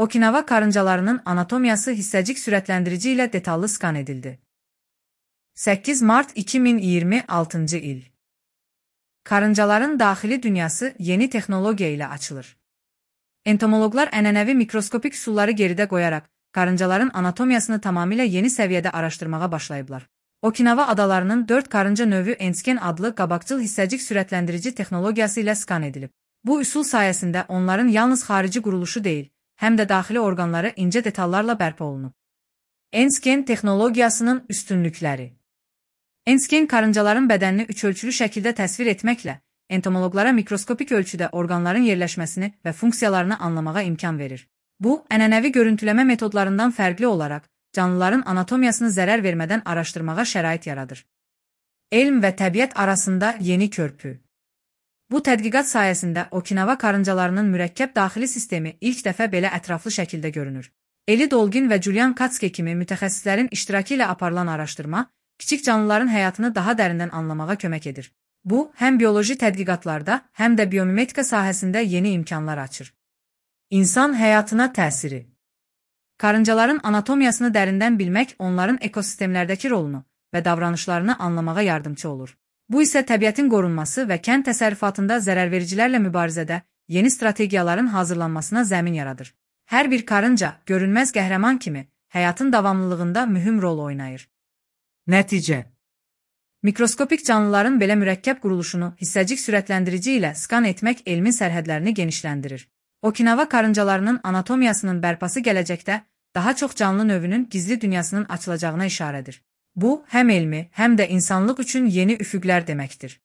Okinawa karıncalarının anatomiyası hissəcik sürətləndirici ilə detallı skan edildi. 8 Mart 2026 il. Karıncaların daxili dünyası yeni texnologiya ilə açılır. Entomoloqlar ənənəvi mikroskopik üsulları geridə qoyaraq, karıncaların anatomiyasını tamamilə yeni səviyyədə araşdırmağa başlayıblar. Okinawa adalarının 4 karınca növü Ensken adlı qabaqcıl hissəcik sürətləndirici texnologiyası ilə skan edilib. Bu üsul sayəsində onların yalnız xarici quruluşu deyil, həm də daxili orqanları incə detallarla bərpa olunub. Ensken texnologiyasının üstünlükləri. Ensken karıncaların bədənini üçölçülü şəkildə təsvir etməklə, entomoloqlara mikroskopik ölçüdə orqanların yerləşməsini və funksiyalarını anlamağa imkan verir. Bu, ənənəvi görüntüləmə metodlarından fərqli olaraq, canlıların anatomiyasını zərər vermədən araşdırmağa şərait yaradır. Elm və təbiət arasında yeni körpü. Bu tədqiqat sayəsində Okinawa karıncalarının mürəkkəb daxili sistemi ilk dəfə belə ətraflı şəkildə görünür. Eli Dolgin və Julian Katske kimi mütəxəssislərin iştirakı ilə aparılan araşdırma, kiçik canlıların həyatını daha dərindən anlamağa kömək edir. Bu, həm bioloji tədqiqatlarda, həm də biomimetika sahəsində yeni imkanlar açır. İnsan həyatına təsiri. Karıncaların anatomiyasını dərindən bilmək onların ekosistemlərdəki rolunu və davranışlarını anlamağa yardımcı olur. Bu isə təbiətin qorunması və kənd təsərrüfatında zərərvericilərlə mübarizədə yeni strategiyaların hazırlanmasına zəmin yaradır. Hər bir karınca, görünməz qəhrəman kimi, həyatın davamlılığında mühüm rol oynayır. Nəticə. Mikroskopik canlıların belə mürəkkəb quruluşunu hissəcik sürətləndirici ilə skan etmək elmin sərhədlərini genişləndirir. Okinawa karıncalarının anatomiyasının bərpası gələcəkdə daha çox canlı növünün gizli dünyasının açılacağına işarədir. Bu, həm elmi, həm də insanlıq üçün yeni üfüqlər deməkdir.